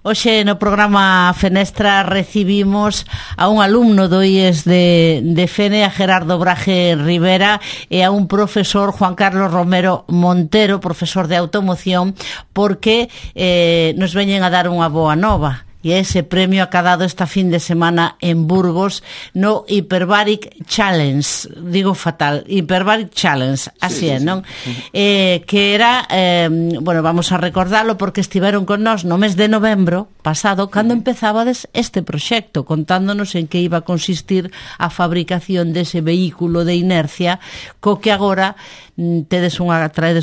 Hoxe no programa Fenestra recibimos a un alumno do IES de Fene, a Gerardo Braje Rivera, e a un profesor, Juan Carlos Romero Montero, profesor de automoción, porque nos veñen a dar unha boa nova. E ese premio acadado esta fin de semana en Burgos no Hyperbaric Challenge, digo fatal, Hyperbaric Challenge, así é, non? Que era, bueno, vamos a recordarlo porque estiveron con nós no mes de novembro pasado, cando empezabades este proxecto, contándonos en que iba a consistir a fabricación dese vehículo de inercia, co que agora traedes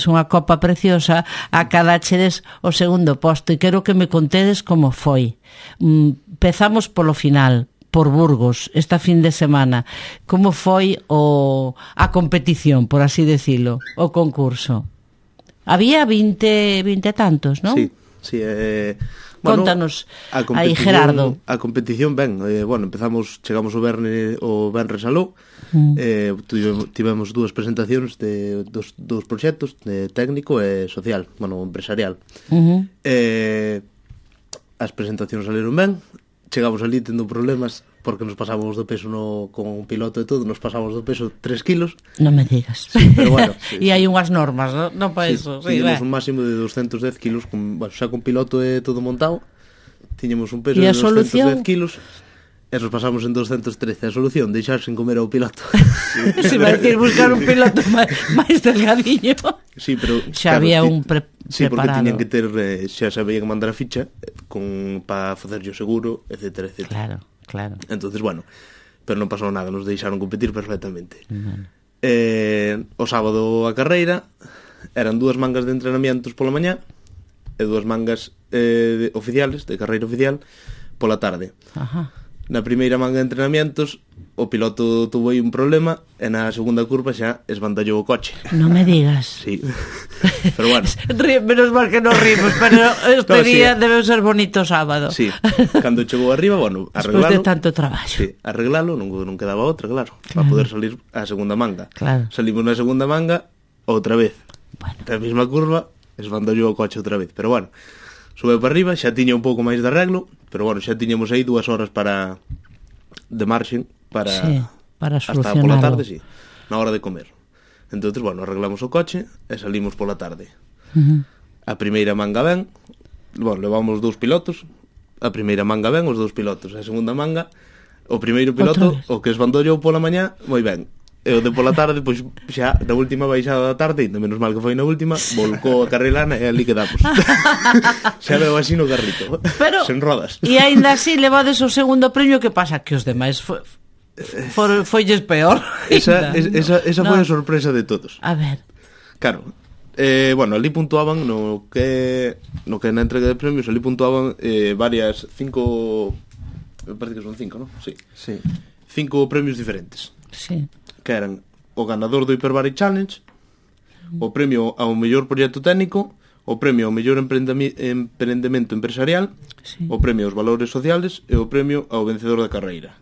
unha copa preciosa, acadachedes o segundo posto, e quero que me contedes como foi. Empezamos polo final, por Burgos, esta fin de semana. Como foi a competición, por así decirlo, o concurso? Había 20 tantos, non? Sí. Contanos aí, Gerardo. A competición, chegamos o Venres aló, tivemos dúas presentacións de dos proxectos, de técnico e social, empresarial. As presentacións saliron ben, chegamos ali tendo problemas porque nos pasábamos do peso con un piloto e todo, nos pasábamos do peso 3 kilos. Non me digas. Sí, pero bueno. E hai unhas normas, non para iso. Tiñamos un máximo de 210 kilos, xa con piloto e todo montado, tiñamos un peso de 210 kilos. E nos pasamos en 213. A solución, deixar sin comer ao piloto. Se vai decir buscar un piloto máis delgadiño. Sí, pero xa había un preparado. Sí, porque tiñan que ter, xa sabía que mandar a ficha para facerlle o seguro, etcétera. Claro. Entonces, pero non pasou nada, nos deixaron competir perfectamente. O sábado a carreira eran 2 mangas de entrenamientos pola mañá e 2 mangas oficiales, de carreira oficial, pola tarde. Ajá. Na primeira manga de entrenamientos o piloto tuvo aí un problema e na segunda curva xa esbandallou o coche. Non me digas. Sí. Pero bueno. Menos mal que non rimos, pero este día debe ser bonito sábado. Sí. Cando chegou arriba, arreglalo. Despois de tanto traballo. Sí, arreglalo, non quedaba outra, claro. Para poder salir á segunda manga. Claro. Salimos na segunda manga outra vez. Na mesma curva, esbandallou o coche outra vez. Pero bueno, subeu para arriba, xa tiña un pouco máis de arreglo, pero xa tiñamos aí 2 horas de marxen para solucionarlo. Hasta pola tarde, sí, na hora de comer. Entonces, arreglamos o coche e salimos pola tarde. A primeira manga ben, levamos 2 pilotos, a primeira manga ben, os 2 pilotos, a segunda manga, o primeiro piloto, o que esbandollou pola mañá, moi ben. E o de pola tarde, pois xa na última baixada da tarde, ainda menos mal que foi na última, volcou a carrilana e ali quedamos. Xa veo así no carrito, pero, sen rodas. E aínda así levades o segundo premio, que pasa? Que os demais foilles peor. Esa foi a sorpresa de todos. A ver. Claro, ali puntuaban no que na entrega de premios, ali puntuaban varias 5, me parece que son 5, non? Sí. 5 premios diferentes. Sí. Que eran o ganador do Hyperbaric Challenge, o premio ao mellor proxecto técnico, o premio ao mellor emprendemento empresarial, o premio aos valores sociales e o premio ao vencedor da carreira.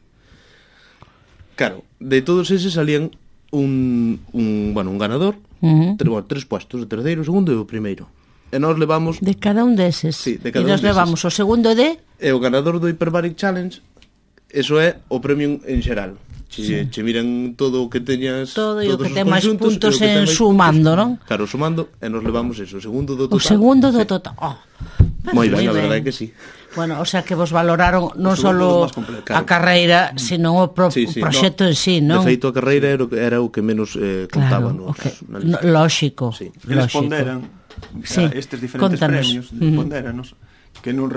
Claro, de todos eses salían un ganador, 3 puestos, o terceiro, o segundo e o primeiro. E nós levamos... De cada un deses. Sí, de cada un deses. E nós levamos o segundo de... E o ganador do Hyperbaric Challenge, eso é o premio en xeral. Che miran todo o que teñas, todo e o que ten máis puntos en sumando, non? Claro, sumando, e nos levamos eso, o segundo do total. O segundo do total. Moi ben, a verdade é que sí. Bueno, o sea que vos valoraron non só a carreira, sino o proxecto en sí, non? De feito, a carreira era o que menos contaba na lista. Lóxico. Eles ponderan estes diferentes premios, pondéranos que non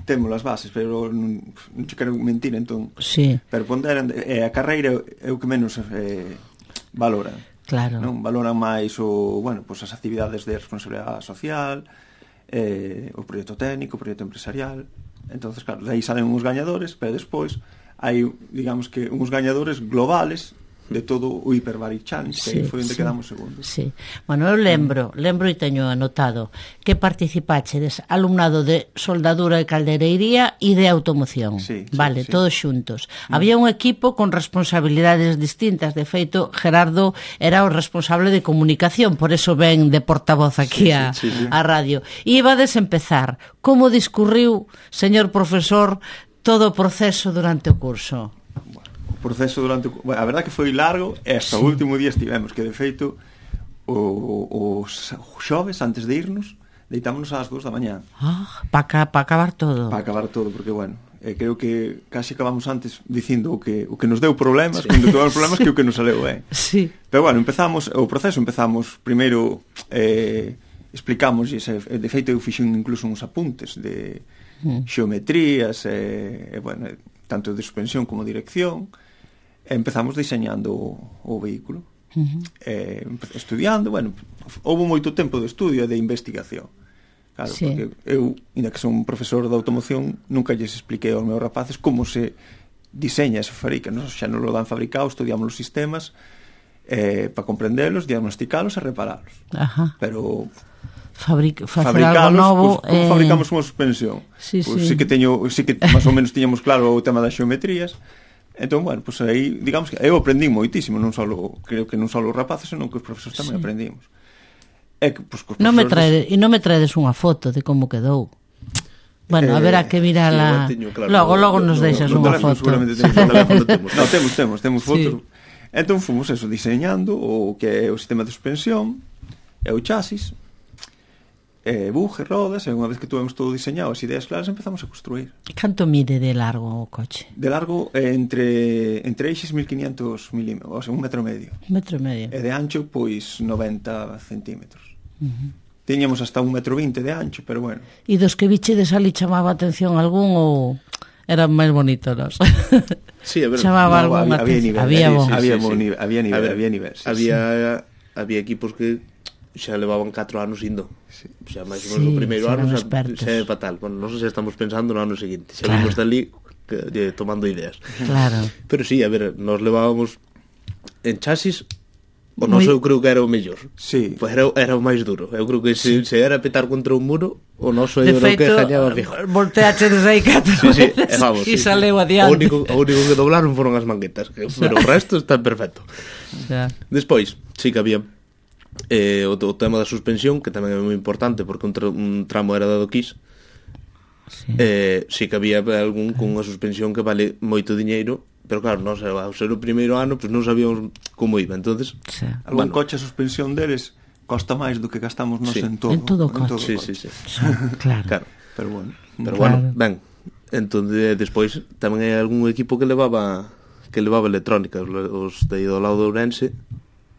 temos as bases, pero non che quero mentir, entón. Sí. Pero ponderan, a carreira é o que menos valoran. Claro. Non valoran máis as actividades de responsabilidade social, o proxecto técnico, o proxecto empresarial. Entonces, claro, de aí salen uns gañadores, pero despois hai, digamos que, uns gañadores globales de todo o Hyperbaric Challenge, que aí foi onde quedamos segundos. Sí. Bueno, eu lembro e teño anotado que participachedes alumnado de soldadura e caldereiría e de automoción. Vale, todos xuntos. Había un equipo con responsabilidades distintas. De feito, Gerardo era o responsable de comunicación, por eso ven de portavoz aquí a radio. E ibades empezar. Como discurriu, señor profesor, todo o proceso durante o curso? Proceso durante... Bueno, a verdad que foi largo e hasta o último día estivemos, que de feito os xoves antes de irnos deitámonos ás 2 da mañá para acabar todo, porque bueno, creo que casi acabamos antes dicindo o que nos deu problemas cando tuvemos problemas que o que nos saleu sí. Pero bueno, empezamos primeiro explicamos, de feito eu fixen incluso uns apuntes de xeometrías bueno, tanto de suspensión como dirección. Empezamos diseñando o vehículo, estudiando, bueno, houve moito tempo de estudio e de investigación, claro, porque eu, ainda que son un profesor de automoción, nunca lles expliquei aos meus rapaces como se diseña e se fabrica, nos xa non lo dan fabricado, estudiamos os sistemas para comprendelos, diagnosticalos e reparalos. Pero facer algo novo, pues, como fabricamos unha suspensión, sí que máis ou menos tiñamos claro o tema das xeometrías. Entón, bueno, pues aí, digamos que eu aprendí moitísimo, creo que non só os rapaces, senón que os profesores tamén aprendimos. Pues, non me traedes unha foto de como quedou. Bueno, haberá que mirala. Claro, logo nos deixas unha foto. Temos fotos. Entón fomos eso, diseñando o que é o sistema de suspensión e o chasis, buje, rodas, e unha vez que tuvemos todo diseñado, as ideas claras, empezamos a construir. Canto mide de largo o coche? De largo, entre eixes 1500 milímetros, o sea, 1,5 metros. 1,5 metros. E de ancho, pois 90 centímetros. Tiñamos hasta 1,20 metro de ancho, pero bueno. E dos que bichedes ali chamaba atención algún ou eran máis bonitos? Sí, a ver, chamaba algún atención. Había nivel. Había equipos que xa levaban 4 anos indo. Xa máis ou menos o primeiro ano xa é fatal. Bueno, non sei se estamos pensando no ano seguinte. Xa vimos dali tomando ideas. Claro. Pero sí, a ver, nos levábamos en chasis. O noso eu creo que era o mellor. Sí. Pues era o máis duro. Eu creo que se era petar contra un muro, o noso era o que gañaba fijo. Volteachedes aí 4 veces e saleu adiante. O único que doblaron foron as manguetas, pero o resto está perfecto. Despois, sí que había o tema da suspensión, que tamén é moi importante porque un tramo era dado quis. Sí que había algún con unha suspensión que vale moito diñeiro, pero claro, nós ao ser o primeiro ano pues non sabíamos como iba, entonces algún coche a suspensión deles costa máis do que gastamos nós en todo o coche. Sí. Claro. Pero bueno, ben, entonces despois tamén hai algún equipo que levaba electrónica, os de do lado de Ourense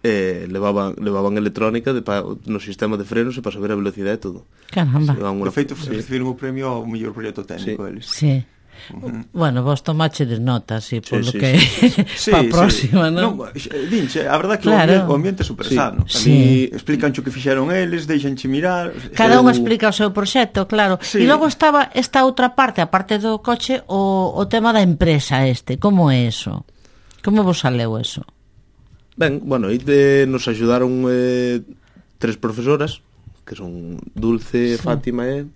levaban electrónica no sistema de frenos e para saber a velocidade e todo. Caramba. De feito, recibiron o premio ao mellor proxecto técnico eles. Sí. Bueno, vos tomachedes notas polo que para a próxima, non? Dinche, a verdad que o ambiente é super sano. A mí explicancho o que fixeron eles, deixanche mirar. Cada un explica o seu proxecto, claro. E logo estaba esta outra parte, a parte do coche, o tema da empresa como é eso? Como vos saleu eso? Ben, bueno, aí nos axudaron 3 profesoras, que son Dulce, Fátima e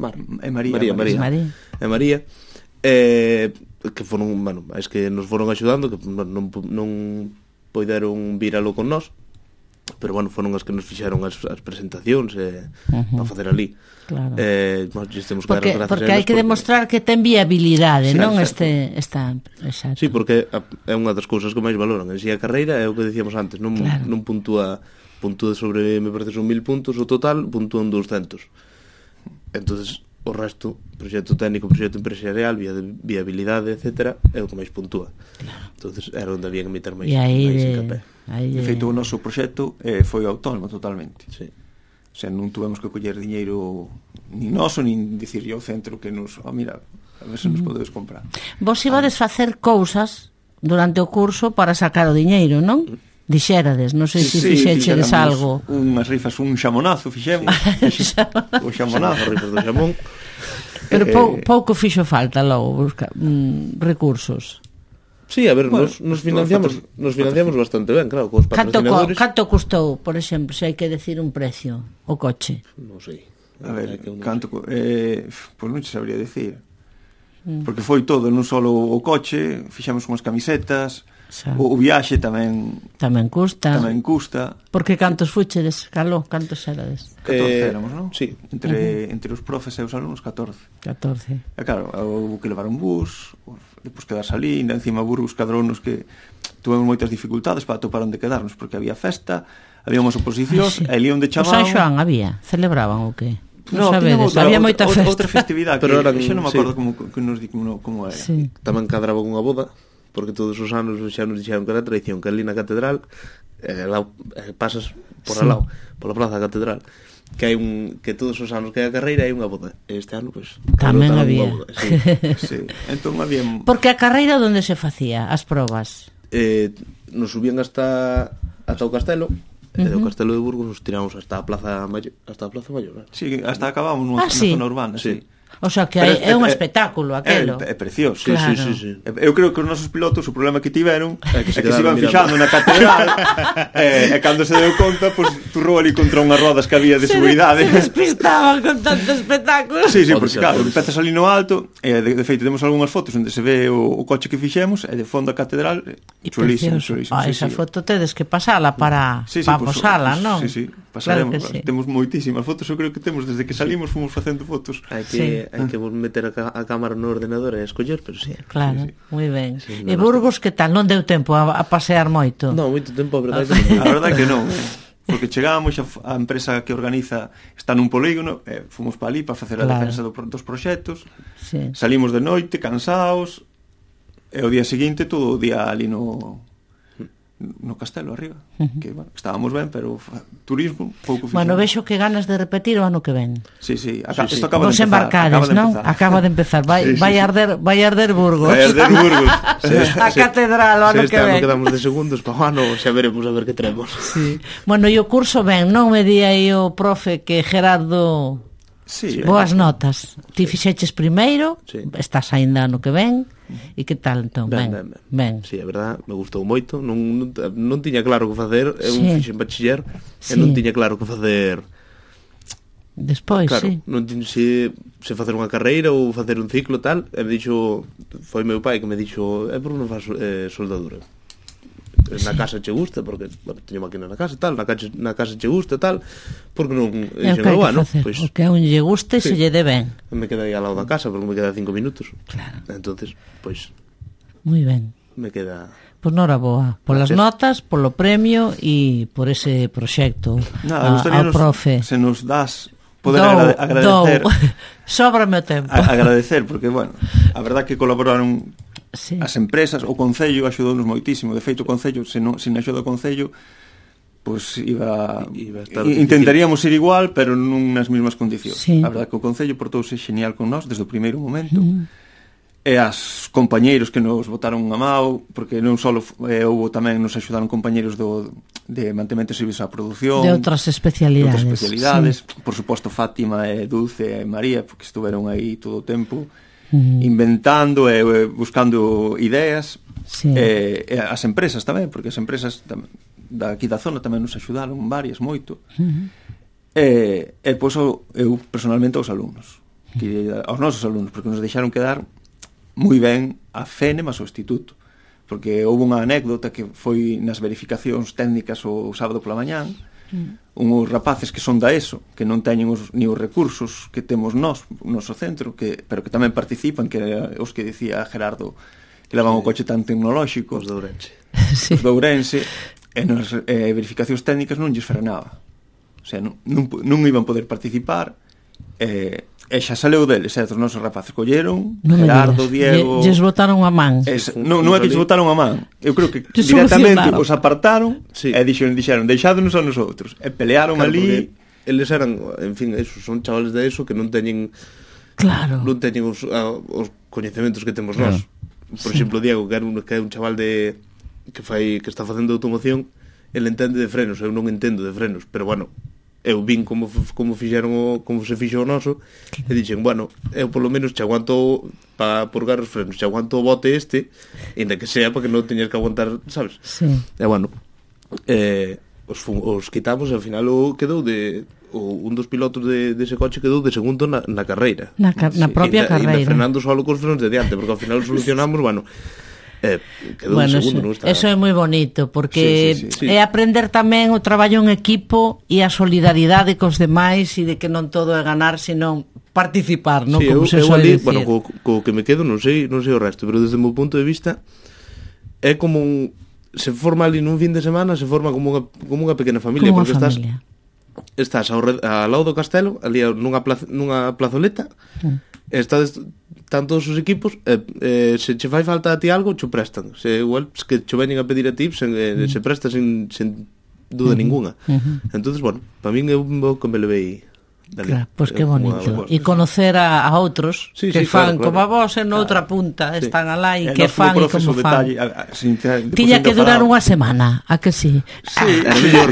María. Que foron, bueno, es que nos foron axudando, que non poideron viralo con nós, pero bueno, foron as que nos fixeron as presentacións para facer ali. Claro. Porque hai que demostrar que ten viabilidade, non? Exacto. Sí, porque é unha das cousas que máis valoran. En si a carreira é o que dicíamos antes, non puntúa sobre, me parece, son 1000 puntos o total, puntúan 200. Entonces o resto, proxecto técnico, proxecto empresarial, viabilidade, etcétera, é o que máis puntúa. Entonces era onde había que meter máis encapé. De feito, o noso proxecto foi autónomo totalmente. Sí. O sea, non tuvemos que coller diñeiro nin noso, nin dicirlle ao centro que nos, mira, a ver se nos podedes comprar. Vos ibades facer cousas durante o curso para sacar o diñeiro, non? Dixérades, non sei se fixechedes algo. Unhas rifas, un xamonazo fixemos. O xamonazo, rifas do xamón. Pero pouco fixo falta logo buscar recursos. Sí, a ver, Bueno, nos financiamos bastante ben, claro, cos patrocinadores. Canto custou, por exemplo, se hai que decir un precio, o coche? Non sei. A ver, canto... pois non te sabría decir. Porque foi todo, non só o coche, fixemos unhas camisetas, o viaxe tamén custa. Tamén custa. Porque cantos fuchedes, Caló? Cantos erades? 14 éramos, non? Sí. Entre os profes e os alumnos, 14. E claro, houve que levar un bus, depois quedarse ali, ainda encima Burgos cadrounos que tuvemos moitas dificultades para atopar onde quedarnos, porque había festa, había unhas oposicións, e ali onde O chamaban... San Xoán había? Celebraban o que? No, sabedes, había moita festa. Outra festividade, pero que xa non me acordo como era. Sí. Tamén cadraba unha boda, porque todos os anos xa nos dixeron que era tradición, que ali na catedral pasas por al lado, pola plaza da catedral, que todos os anos que hai a carreira hai unha boda. Este ano, pois, tamén había. Boda, sí. Sí. Entón había... Porque a carreira onde se facía as probas? Nos subían hasta o castelo, e do castelo de Burgos nos tiramos hasta a Plaza Maior. Sí, hasta acabamos nunha zona urbana, sí. O sea, que é un espectáculo aquelo. É precioso. Claro. Sí. Eu creo que os nosos pilotos o problema que tiveron é que se iban quedaron fixando na catedral e cando se deu conta, pues, turrou ali contra unhas rodas que había de seguridade. Se despistaban con tanto espectáculo. Sí, porque claro, empezas ali no alto e de feito temos algunhas fotos onde se ve o coche que fixemos e de fondo a catedral chulísimo. Esa foto tedes que pasala para posala, non? Sí, pasaremos. Claro, temos moitísimas fotos, eu creo que temos desde que salimos fomos facendo fotos. Hai que meter a cámara no ordenador e escoller, pero sí. Claro, moi ben. E Burgos, que tal? Non deu tempo a pasear moito? Non, moito tempo, a verdade. A verdade que non. Porque chegábamos, a empresa que organiza está nun polígono, fomos para ali para facer a defensa dos proxectos, salimos de noite, cansaos, e o día seguinte todo o día ali no castelo arriba, que bueno, estábamos ben, pero turismo pouco fixemos. Bueno, vexo que ganas de repetir o ano que ven. Sí. Isto acaba de empezar. Vos embarcades, non? Acaba de empezar. Vai arder Burgos. Vai arder Burgos. A catedral o ano que ven. Este ano quedamos de segundos, para o ano xa veremos a ver que traemos. Sí. Bueno, e o curso ben, non me di aí o profe que Gerardo... Sí, boas notas. Ti fixeches primeiro, estás aínda ano que ven, e que tal entón? Ben. Sí, a verdad, me gustou moito, non tiña claro que facer, eu fixen bachiller e non tiña claro que facer. Despois, claro, non tiña se facer unha carreira ou facer un ciclo tal, e me dixo, foi meu pai que me dixo, por que non faz soldadura? Na casa che gusta, porque teño máquina na casa tal, na casa che gusta tal, porque non pois o que a un lle guste se lle dé ben. Me queda aí ao lado da casa, porque me queda 5 minutos. Claro. Entonces, pois moi ben. Me queda... Pois noraboa, polas notas, polo premio e por ese proxecto ao profe. Se nos das poder agradecer. Sóbrame o tempo. Agradecer, porque, bueno, a verdad que colaboraron as empresas, o Concello axudounos moitísimo. De feito, o Concello, se non axuda o Concello, pois intentaríamos ir igual, pero non nas mesmas condicións. A verdad que o Concello portouse genial con nós desde o primeiro momento. E as compañeiros que nos botaron a mao, porque non só houve tamén nos axudaron compañeiros de mantemento de servizos á produción, de outras especialidades. Por suposto Fátima e Dulce e María, porque estuveron aí todo o tempo inventando e buscando ideas, e as empresas tamén, porque as empresas daqui da zona tamén nos axudaron varias, moito. E pois eu personalmente aos alumnos, aos nosos alumnos, porque nos deixaron quedar moi ben a FENE mas o instituto, porque houve unha anécdota que foi nas verificacións técnicas o sábado pola mañán, unhos rapaces que son da ESO, que non teñen ni os recursos que temos nós, o noso centro, pero que tamén participan, que os que dicía Gerardo, que levan o coche tan tecnolóxico, os de Ourense, os de Ourense, e nas verificacións técnicas non lles frenaba, o sea, non iban poder participar, e xa saleu deles, os nosos rapaces colleron, Gerardo, Diego... Lles botaron a man. Non é que lles botaron a man, eu creo que directamente os apartaron e dixeron, deixádonos a nosotros, e pelearon ali. Eles eran, en fin, son chavales de eso que non teñen os coñecementos que temos nós. Por exemplo, Diego, que é un chaval que está facendo automoción, ele entende de frenos, eu non entendo de frenos, pero bueno, eu vin como se fixo o noso e dixen, bueno, eu polo menos che aguanto para purgar os frenos, se aguanto o bote ainda que sea para que non teñas que aguantar, sabes? Sí. E bueno, os quitamos e ao final quedou un dos pilotos dese coche quedou de segundo na carreira. Na propia carreira. E frenando solo cos frenos de diante, porque ao final solucionamos, bueno, quedou de segundo, non está. Eso é moi bonito, porque sí. é aprender tamén o traballo en equipo e a solidaridade cos demais, e de que non todo é ganar, sino participar, non? Sí, Como se eu suele ali, decir. bueno, co que me quedo non sei o resto, pero desde o meu punto de vista é como se forma ali nun fin de semana, se forma como unha pequena familia, como porque familia. estás ao lado do castelo, ali nunha plazoleta, están todos os equipos, se che fai falta a ti algo, che prestan. Se igual que che veñen a pedir a ti, se presta sin duda ninguna. Entonces, bueno, para min é un que me levei dali. Claro, pois que bonito. E conocer a outros que fan claro. Como a vos en outra punta, están alá e que fan e como fan. Tiña que durar unha semana, a que sí? Sí, era mellor.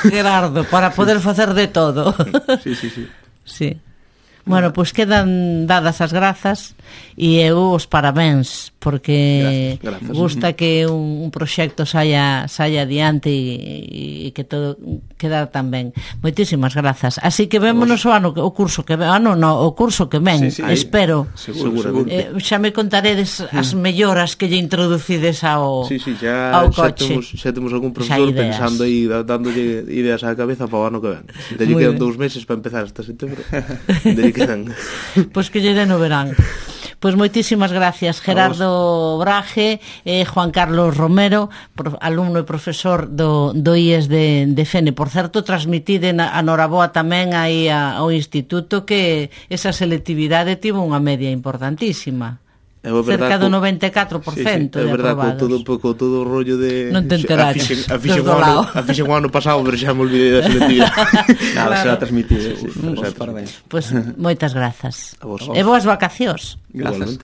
Gerardo, para poder facer de todo. Sí. Bueno, pois quedan dadas as grazas e eu os parabéns, porque gracias. gusta que un proxecto saia adiante e que todo queda tan ben. Moitísimas grazas. Así que vémonos o curso que ven, o curso que ven, espero. Seguro. Xa me contaredes as melloras que lle introducides ao coche. Xa temos algún profesor pensando aí, dándolle ideas á cabeza para o ano que ven. Lle quedan 2 meses para empezar hasta setembro. Pois que lle den o verán. Pois moitísimas gracias, Gerardo Braje e Juan Carlos Romero, alumno e profesor do IES de Fene. Por certo, transmitide a Noraboa tamén aí ao instituto, que esa selectividade tivo unha media importantísima. Cerca do 94%. É verdade, con todo o rollo de... Non te enteraches. A fixen o ano pasado, pero xa me olvidei da selectividade. Nada, será transmitido. Parabéns. Pois moitas grazas. A vos. E boas vacacións. Grazas.